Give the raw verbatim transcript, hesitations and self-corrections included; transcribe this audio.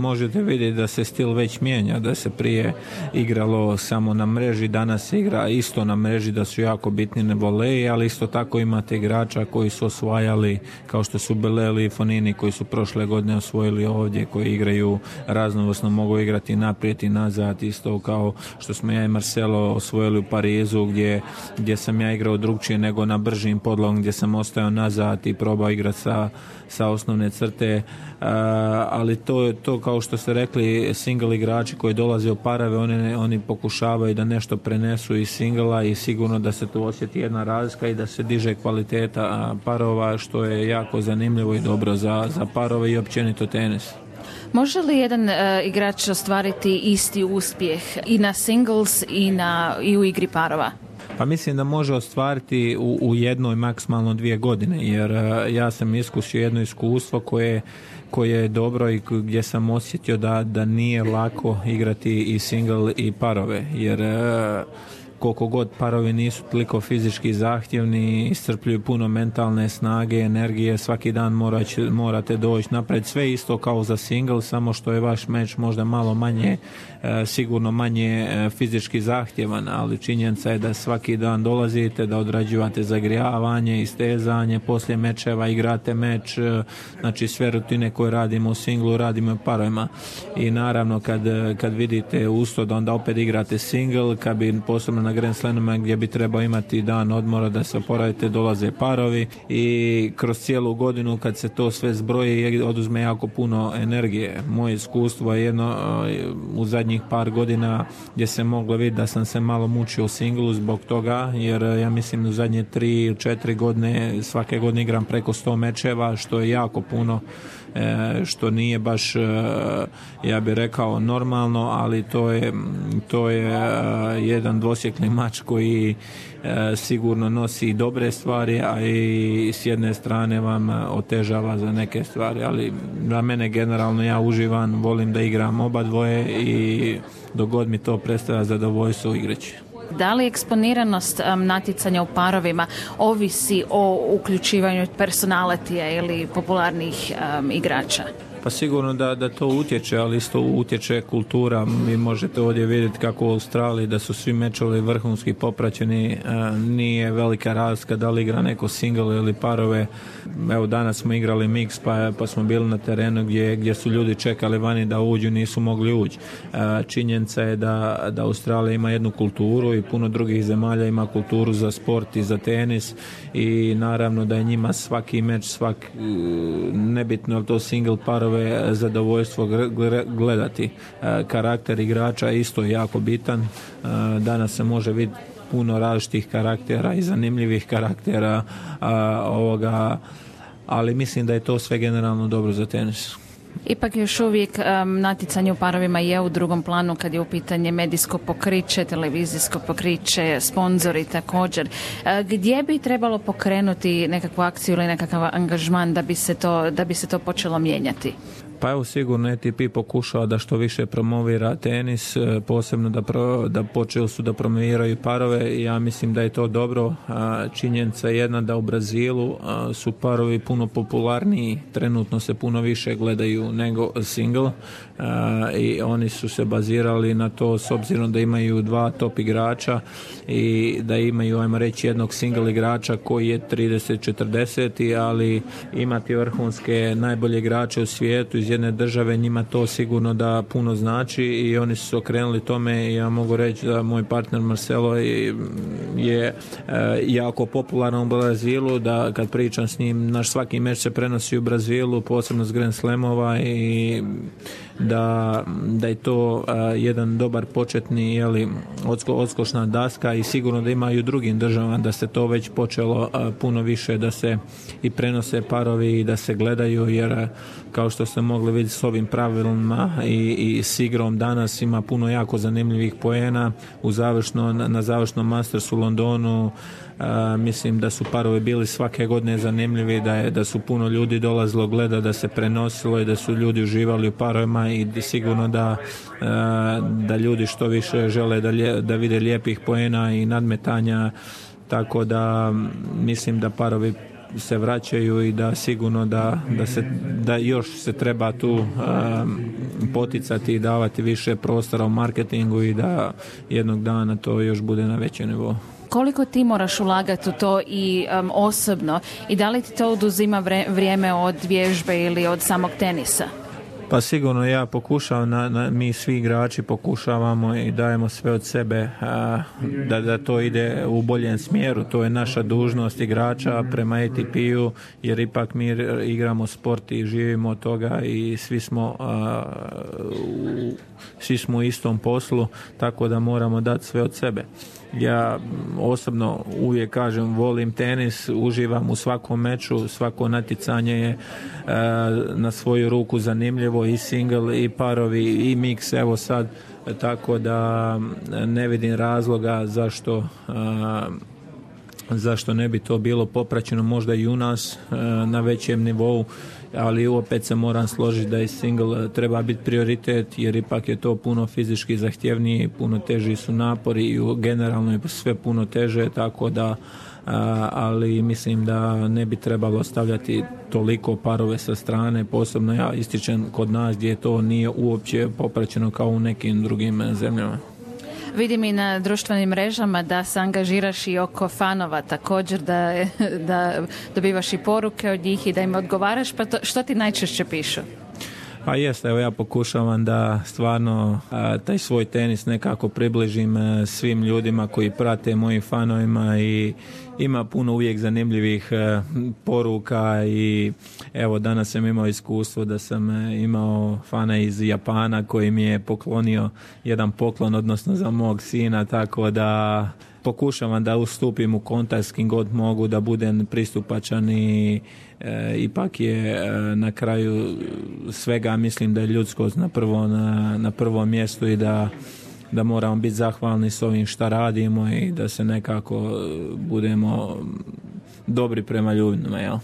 Možete vidjeti da se stil već mijenja, da se prije igralo samo na mreži, danas se igra isto na mreži, da su jako bitni ne voleji, ali isto tako imate igrača koji su osvajali, kao što su Beleli i Fonini, koji su prošle godine osvojili ovdje, koji igraju raznovrsno, mogu igrati naprijed i nazad, isto kao što smo ja i Marcelo osvojili u Parizu, gdje, gdje sam ja igrao drugčije nego na bržim podlogom, gdje sam ostao nazad i probao igrati sa, sa osnovne crte. Uh, ali to, to kao što ste rekli, single igrači koji dolaze u parave, oni, oni pokušavaju da nešto prenesu iz singla i sigurno da se tu osjeti jedna razlika i da se diže kvaliteta parova, što je jako zanimljivo i dobro za, za parove i općenito tenis. Može li jedan uh, igrač ostvariti isti uspjeh i na singles i, na, i u igri parova? Pa mislim da može ostvariti u, u jednoj, maksimalno dvije godine, jer uh, ja sam iskusio jedno iskustvo koje, koje je dobro i gdje sam osjetio da, da nije lako igrati i single i parove, jer uh, koliko god parovi nisu toliko fizički zahtjevni, iscrpljuju puno mentalne snage, energije, svaki dan morać, morate doći napred, sve isto kao za single, samo što je vaš meč možda malo manje, e, sigurno manje e, fizički zahtjevan, ali činjenica je da svaki dan dolazite, da odrađivate zagrijavanje, istezanje, poslije mečeva igrate meč, e, znači sve rutine koje radimo u singlu, radimo u parovima i naravno kad, kad vidite usto da onda opet igrate single, kad bi posebno na Grand Slamima gdje bi trebao imati dan odmora da se oporavite, dolaze parovi i kroz cijelu godinu kad se to sve zbroji oduzme jako puno energije. Moje iskustvo je jedno u zadnjih par godina gdje se moglo vidjeti da sam se malo mučio u singlu zbog toga, jer ja mislim u zadnje tri ili četiri godine svake godine igram preko sto mečeva, što je jako puno, što nije baš, ja bih rekao, normalno, ali to je, to je jedan dvosjekli mač koji sigurno nosi dobre stvari, a i s jedne strane vam otežava za neke stvari, ali za mene generalno ja uživam, volim da igram oba dvoje i dok god mi to predstavlja zadovoljstvo igraći. Da li eksponiranost um, natjecanja u parovima ovisi o uključivanju personalitija ili popularnih um, igrača? Pa sigurno da, da to utječe, ali isto utječe kultura. Vi možete ovdje vidjeti kako u Australiji da su svi mečovi vrhunski popraćeni, nije velika razlika da li igra neko single ili parove. Evo danas smo igrali mix pa, pa smo bili na terenu gdje, gdje su ljudi čekali vani da uđu, nisu mogli ući. Činjenica je da, da Australija ima jednu kulturu i puno drugih zemalja ima kulturu za sport i za tenis i naravno da je njima svaki meč, svak, nebitno je to single, parove, zadovoljstvo gledati. Karakter igrača isto je jako bitan. Danas se može vidjeti puno različitih karaktera i zanimljivih karaktera ovoga, ali mislim da je to sve generalno dobro za tenis. Ipak još uvijek um, natjecanje u parovima je u drugom planu kad je u pitanje medijsko pokriće, televizijsko pokriće, sponzori također. Uh, gdje bi trebalo pokrenuti nekakvu akciju ili nekakav angažman da bi se to, da bi se to počelo mijenjati? Pa evo sigurno A T P pokušava da što više promovira tenis, posebno da, pro, da počeli su da promoviraju parove i ja mislim da je to dobro. Činjenica je jedna da u Brazilu su parovi puno popularniji, trenutno se puno više gledaju nego single i oni su se bazirali na to s obzirom da imaju dva top igrača i da imaju, ajmo reći, jednog single igrača koji je trideset četrdeset, ali imati vrhunske najbolje igrače u svijetu iz jedne države, njima to sigurno da puno znači i oni su se okrenuli tome i ja mogu reći da moj partner Marcelo je, je jako popularan u Brazilu, da kad pričam s njim, naš svaki meč se prenosi u Brazilu, posebno s Grand Slamova i da, da je to uh, jedan dobar početni, jeli, odsko, odskočna daska i sigurno da ima i u drugim državama da se to već počelo uh, puno više da se i prenose parovi i da se gledaju, jer uh, kao što ste mogli vidjeti s ovim pravilima i, i s igrom danas ima puno jako zanimljivih poena u završno, na, na završnom Mastersu u Londonu. Uh, mislim da su parovi bili svake godine zanimljivi, da je da su puno ljudi dolazilo gleda, da se prenosilo i da su ljudi uživali u parovima i sigurno da, uh, da ljudi što više žele da, lje, da vide lijepih poena i nadmetanja, tako da mislim da parovi se vraćaju i da sigurno da, da, se, da još se treba tu um, poticati i davati više prostora u marketingu i da jednog dana to još bude na većem nivou. Koliko ti moraš ulagati u to i um, osobno i da li ti to oduzima vrijeme od vježbe ili od samog tenisa? Pa sigurno ja pokušavam, na, na, mi svi igrači pokušavamo i dajemo sve od sebe a, da, da to ide u boljem smjeru. To je naša dužnost igrača prema A T P-u, jer ipak mi igramo sport i živimo od toga i svi smo, a, u, svi smo u istom poslu, tako da moramo dati sve od sebe. Ja osobno uvijek kažem, volim tenis, uživam u svakom meču, svako natjecanje je e, na svoju ruku zanimljivo, i single, i parovi, i mix, evo sad, tako da ne vidim razloga zašto e, zašto ne bi to bilo popraćeno možda i u nas e, na većem nivou, ali opet se moram složiti da i single treba biti prioritet, jer ipak je to puno fizički zahtjevniji, puno teži su napori i generalno je sve puno teže, tako da a, ali mislim da ne bi trebalo stavljati toliko parove sa strane, posebno ja ističem kod nas gdje to nije uopće popraćeno kao u nekim drugim zemljama. Vidim i na društvenim mrežama da se angažiraš i oko fanova također, da, da dobivaš i poruke od njih i da im odgovaraš, pa to, što ti najčešće pišu? Pa jeste, evo ja pokušavam da stvarno a, taj svoj tenis nekako približim a, svim ljudima koji prate, mojim fanovima, i ima puno uvijek zanimljivih a, poruka i evo danas sam imao iskustvo da sam a, imao fana iz Japana koji mi je poklonio jedan poklon, odnosno za mog sina, tako da pokušavam da ustupim u kontakt s kim god mogu, da budem pristupačan i e, ipak je e, na kraju svega mislim da je ljudskost na, prvo, na, na prvom mjestu i da, da moramo biti zahvalni s ovim šta radimo i da se nekako budemo dobri prema ljudima, jel?